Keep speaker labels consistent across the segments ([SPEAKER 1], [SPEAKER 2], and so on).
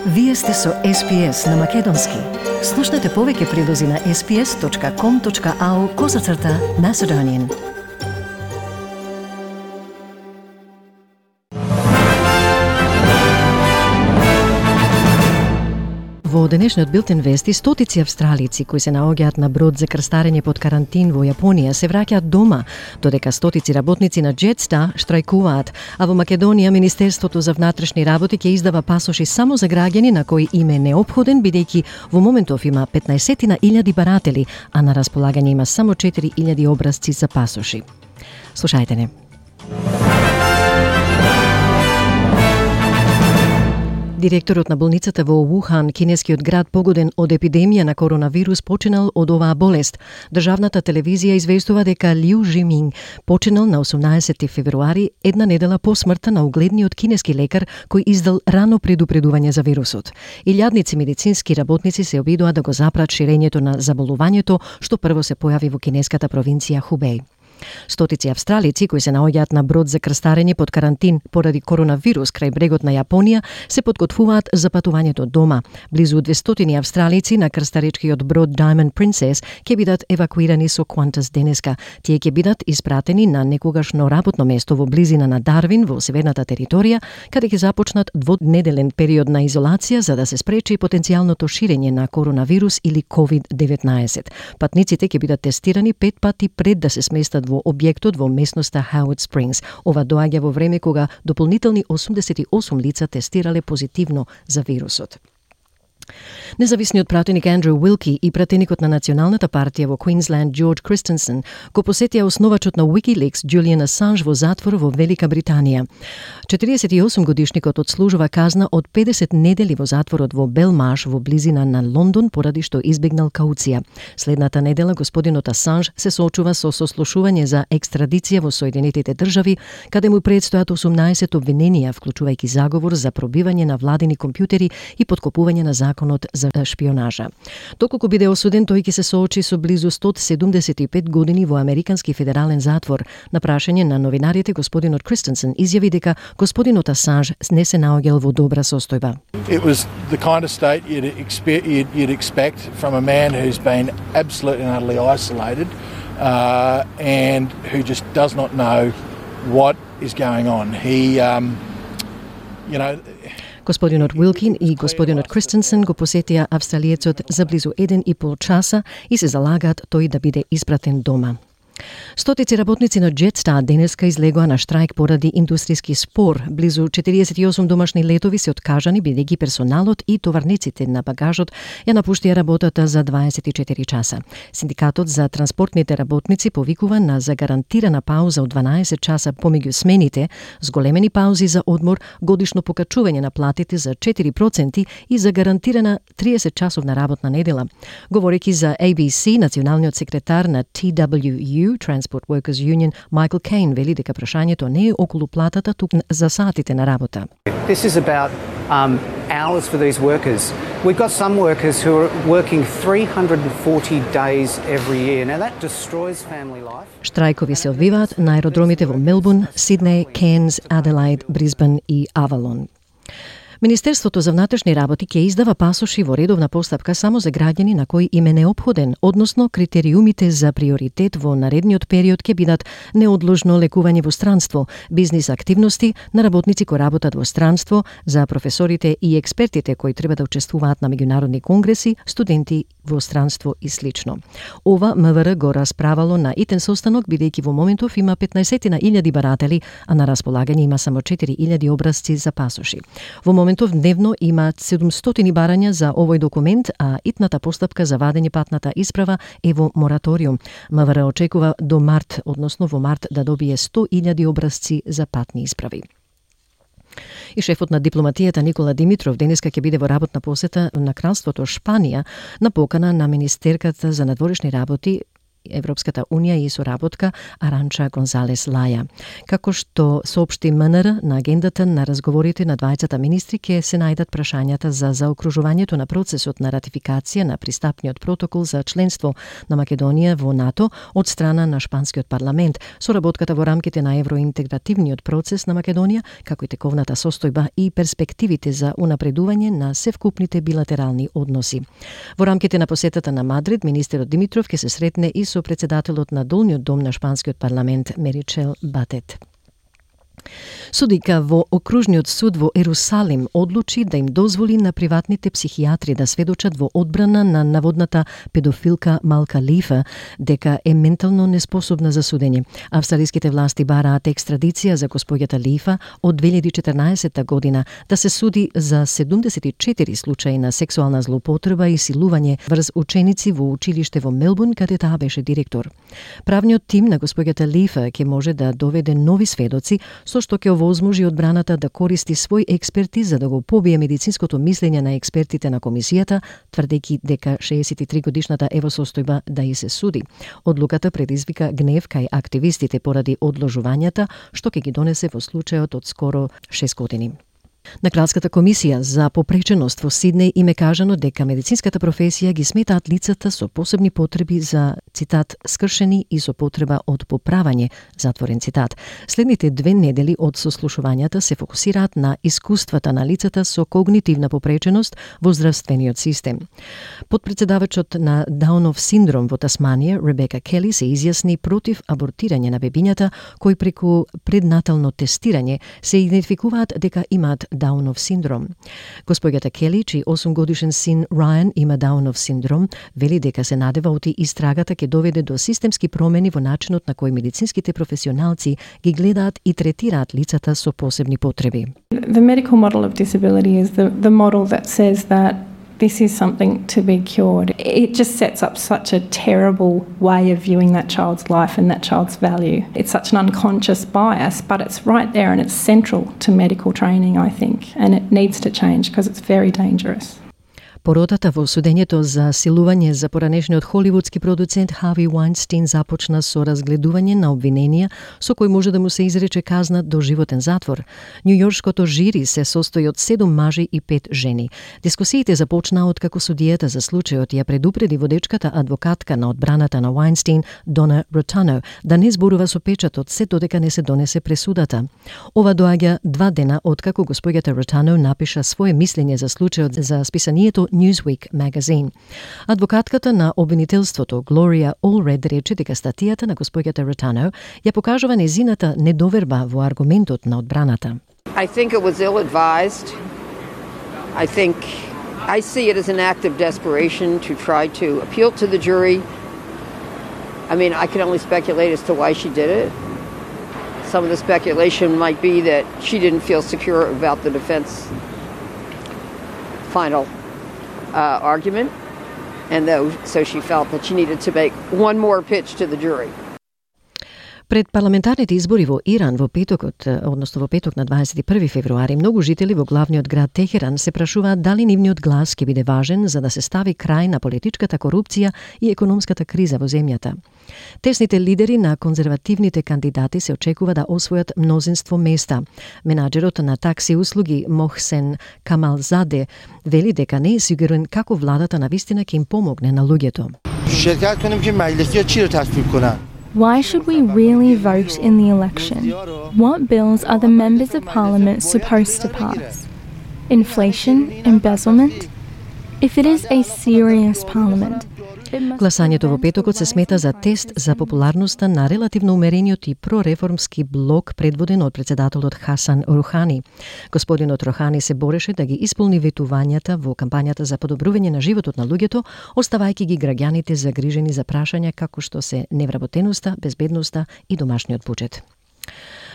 [SPEAKER 1] Вие сте со SPS на Македонски. Слушнете повеќе прилози на sps.com.au/Macedonian. Во денешниот билтен вести, стотици австралици кои се наоѓаат на брод за крстарење под карантин во Јапонија се враќаат дома, додека стотици работници на Jetstar штрајкуваат, а во Македонија Министерството за внатрешни работи ќе издава пасоши само за граѓани на кои им е неопходен, бидејќи во моментов има 15.000 баратели, а на располагање има само 4.000 образци за пасоши. Слушајте не. Директорот на болницата во Вухан, кинескиот град погоден од епидемија на коронавирус, починал од оваа болест. Државната телевизија известува дека Лиу Жиминг починал на 18 февруари, една недела по смртта на угледниот кинески лекар кој издал рано предупредување за вирусот. Илјадници медицински работници се обидоа да го запрат ширењето на заболувањето, што прво се појави во кинеската провинција Хубеј. Стотици австралици кои се наоѓаат на брод за крстарење под карантин поради коронавирус крај брегот на Јапонија се подготвуваат за патувањето дома. Близу 200 австралици на крстаречкиот брод Diamond Princess ќе бидат евакуирани со Qantas денеска. Тие ќе бидат испратени на некогашно работно место во близина на Дарвин во северната територија, каде ќе започнат двонеделен период на изолација за да се спречи потенцијалното ширење на коронавирус или COVID-19. Патниците ќе бидат тестирани 5 пати пред да се сместат во објектот во местноста Howard Springs. Ова доаѓа во време кога дополнителни 88 лица тестирале позитивно за вирусот. Независниот пратеник Андрю Уилки и пратеникот на Националната партија во Квинсленд Джордж Кристенсен го посетија основачот на Wikileaks Julian Assange во затвор во Велика Британија. 48 годишникот одслужува казна од 50 недели во затворот во Белмаш во близина на Лондон поради што избегнал кауција. Следната недела господинот Асанж се соочува со сослушување за екстрадиција во Соединетите држави, каде му предстојат 18 обвиненија, вклучувајќи заговор за пробивање на владини компјутери и подкопување на законот за шпионажа. Доколку биде осуден, тој ќе се соочи со близу 175 години во американски федерален затвор. На прашање на новинарите, господинот Кристенсен изјави дека господинот Асанж не се наоѓал во добра состојба.
[SPEAKER 2] It was the kind of state you'd expect from a man who's been absolutely and utterly isolated and who just does not know what is going on.
[SPEAKER 1] Господинот Уилкин и господинот Кристенсен го посетија австралиецот за близу 1,5 часа и се залагаат тој да биде испратен дома. Стотици работници на Jetstar денеска излегоа на штрајк поради индустријски спор. Близу 48 домашни летови се откажани бидејќи персоналот и товарниците на багажот ја напуштија работата за 24 часа. Синдикатот за транспортните работници повикува на загарантирана пауза од 12 часа помеѓу смените, зголемени паузи за одмор, годишно покачување на платите за 4% и за гарантирана 30 часовна работна недела. Говорејќи за ABC, националниот секретар на TWU, Transport Workers Union, Michael Cain, вели дека прашањето не е околу платата, туку за сатите на работа.
[SPEAKER 3] This is about hours for these workers. We've got some workers who are working 340 days every year. Now that destroys family life.
[SPEAKER 1] Штрајкови се одвиваат на аеродромите во Мелбурн, Сиднеј, Кенз, Аделаид, Брисбен и Авалон. Министерството за внатрешни работи ќе издава пасоши во редовна постапка само за граѓани на кои им е неопходен, односно критериумите за приоритет во наредниот период ќе бидат неодложно лекување во странство, бизнис активности на работници кои работат во странство, за професорите и експертите кои треба да учествуваат на меѓународни конгреси, студенти во странство и слично. Ова МВР го расправало на итен состанок, бидејќи во моментов има 15.000 баратели, а на располагање има само 4.000 образци за пасоши. Во моментов дневно има 700 барања за овој документ, а итната постапка за вадење патната исправа е во мораториум. МВР очекува до март, односно во март, да добие 100.000 образци за патни исправи. И шефот на дипломатијата Никола Димитров денеска ќе биде во работна посета на кралството Шпанија на покана на министерката за надворешни работи Европската унија и соработка Аранча Гонзалес Лаја. Како што соопшти МНР, на агендата на разговорите на двајцата министри ќе се најдат прашањата за заокружувањето на процесот на ратификација на пристапниот протокол за членство на Македонија во НАТО од страна на шпанскиот парламент, соработката во рамките на евроинтегративниот процес на Македонија, како и тековната состојба и перспективите за унапредување на севкупните билатерални односи. Во рамките на посетата на Мадрид, министерот Димитров ќе се сретне и со председателот на долниот дом на шпанскиот парламент Меричел Батет. Судика во Окружниот суд во Ерусалим одлучи да им дозволи на приватните психијатри да сведочат во одбрана на наводната педофилка Малка Лифа дека е ментално неспособна за судење. Австралиските власти бараат екстрадиција за госпоѓата Лифа од 2014 година да се суди за 74 случаи на сексуална злоупотреба и силување врз ученици во училиште во Мелбурн, каде таа беше директор. Правниот тим на госпоѓата Лифа ќе може да доведе нови сведоци, со што ќе овозможи одбраната да користи свој експерти за да го побие медицинското мислење на експертите на комисијата, тврдејќи дека 63 годишната е во состојба да и се суди. Одлуката предизвика гнев кај активистите поради одложувањата што ќе ги донесе во случајот од скоро 6 години. На Кралската комисија за попреченост во Сиднеј им е кажано дека медицинската професија ги сметаат лицата со посебни потреби за, цитат, скршени и со потреба од поправање, затворен цитат. Следните 2 недели од сослушувањата се фокусираат на искуствата на лицата со когнитивна попреченост во здравствениот систем. Подпредседавачот на Даунов синдром во Тасманија, Ребека Кели, се изјасни против абортирање на бебињата кои преку преднатално тестирање се идентификуваат дека имаат Даунов синдром. Госпоѓата Кели, чиј 8-годишен син Рајан има Даунов синдром, вели дека се надева оти истрагата ќе доведе до системски промени во начинот на кој медицинските професионалци ги гледаат и третираат лицата со посебни потреби.
[SPEAKER 4] The medical model of disability is the model that says that this is something to be cured. It just sets up such a terrible way of viewing that child's life and that child's value. It's such an unconscious bias, but it's right there and it's central to medical training, I think, and it needs to change because it's very dangerous.
[SPEAKER 1] Поротата во судењето за силување за поранешниот холивудски продуцент Хави Вајнстин започна со разгледување на обвиненија со кои може да му се изрече казна до животен затвор. Њујоршкото жири се состои од 7 мажи и 5 жени. Дискусиите започнаа откако судијата за случајот ја предупреди водечката адвокатка на одбраната на Вајнстин, Дона Ротано, да не зборува со печатот се додека не се донесе пресудата. Ова доаѓа 2 дена откако госпоѓата Ротано напиша свое мислење за случајот за списанието Newsweek magazine. Адвокатката на обвинителството Глорија Олред рече дека статијата на госпоѓата Ротано ја покажува незината недоверба во аргументот на одбраната.
[SPEAKER 5] I think it was ill-advised. I see it as an act of desperation to try to appeal to the jury. I mean, I can only speculate as to why she did it. Some of the speculation might be that she didn't feel secure about the defense final argument, and so she felt that she needed to make one more pitch to the jury.
[SPEAKER 1] Пред парламентарните избори во Иран во петокот, односно во петок на 21 февруари, многу жители во главниот град Техеран се прашуваат дали нивниот глас ќе биде важен за да се стави крај на политичката корупција и економската криза во земјата. Тесните лидери на конзервативните кандидати се очекува да освојат мнозинство места. Менаџерот на такси услуги Мохсен Камалзаде вели дека не е сигурен како владата навистина ќе им помогне на луѓето.
[SPEAKER 6] Why should we really vote in the election? What bills are the members of parliament supposed to pass? Inflation? Embezzlement? If it is a serious parliament,
[SPEAKER 1] Гласањето во петокот се смета за тест за популарноста на релативно умерениот и прореформски блок предводен од председателот Хасан Рухани. Господинот Рухани се бореше да ги исполни ветувањата во кампањата за подобрување на животот на луѓето, оставајќи ги граѓаните загрижени за прашања како што се невработеноста, безбедноста и домашниот буџет.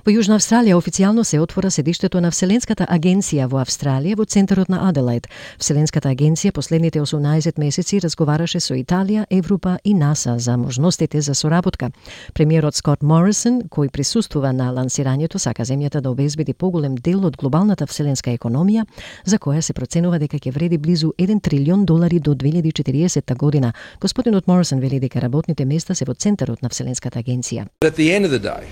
[SPEAKER 1] Во Јужна Австралија официјално се отвора седиштето на Вселенската агенција во Австралија во центарот на Аделаид. Вселенската агенција последните 18 месеци разговараше со Италија, Европа и НАСА за можностите за соработка. Премиерот Скот Морисон, кој присуствува на лансирањето, сака земјата да обезбеди поголем дел од глобалната вселенска економија, за која се проценува дека ќе вреди близу $1 трилион до 2040 година. Господинот Морисон вели дека работните места се во центарот на Вселенската агенција.
[SPEAKER 7] At the end of the day,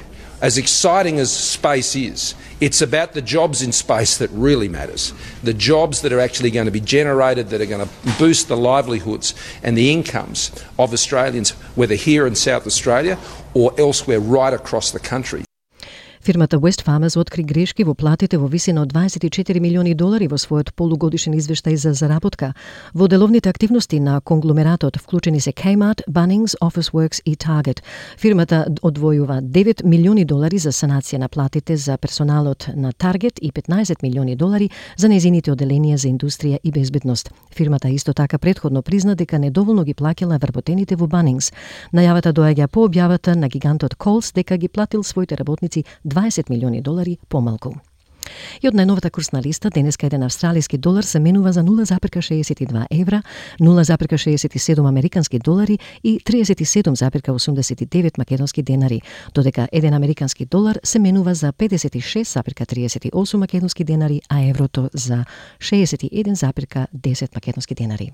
[SPEAKER 7] as exciting as space is, it's about the jobs in space that really matters. The jobs that are actually going to be generated, that are going to boost the livelihoods and the incomes of Australians, whether here in South Australia or elsewhere right across the country.
[SPEAKER 1] Фирмата Wesfarmers откри грешки во платите во висина од $24 милиони во својот полугодишен извештај за заработка. Во деловните активности на конгломератот вклучени се Kmart, Bunnings, Officeworks и Target. Фирмата одвојува $9 милиони за санација на платите за персоналот на Target и $15 милиони за нејзините оделенија за индустрија и безбедност. Фирмата исто така претходно призна дека недоволно ги плаќала вработените во Bunnings. Најавата доаѓа по објавата на гигантот Coles дека ги платил своите работници $20 милиони помалку. И од најновата курсна листа, денеска еден австралиски долар се менува за 0,62 евра, 0,67 американски долари и 37,89 македонски денари, додека еден американски долар се менува за 56,38 македонски денари, а еврото за 61,10 македонски денари.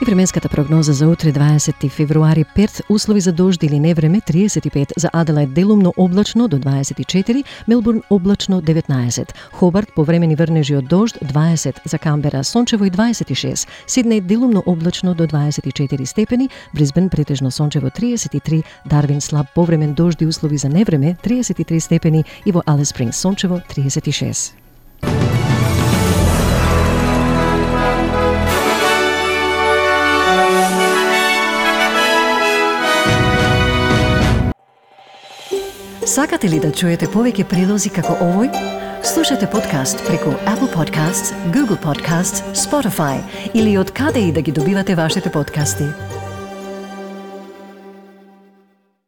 [SPEAKER 1] И временската прогноза за утре 20 февруари: Перт услови за дожд или невреме 35, за Аделаид делумно облачно до 24, Мелбурн облачно 19, Хобарт повремени врнежи од дожд 20, за Камбера сончево и 26, Сиднеј делумно облачно до 24 степени, Брисбен претежно сончево 33, Дарвин слаб повремен дожд и услови за невреме 33 степени и во Алис Спрингс сончево 36. Сакате ли да чуете повеќе прилози како овој? Слушате подкаст преку Apple Podcasts, Google Podcasts, Spotify или од каде и да ги добивате вашите подкасти.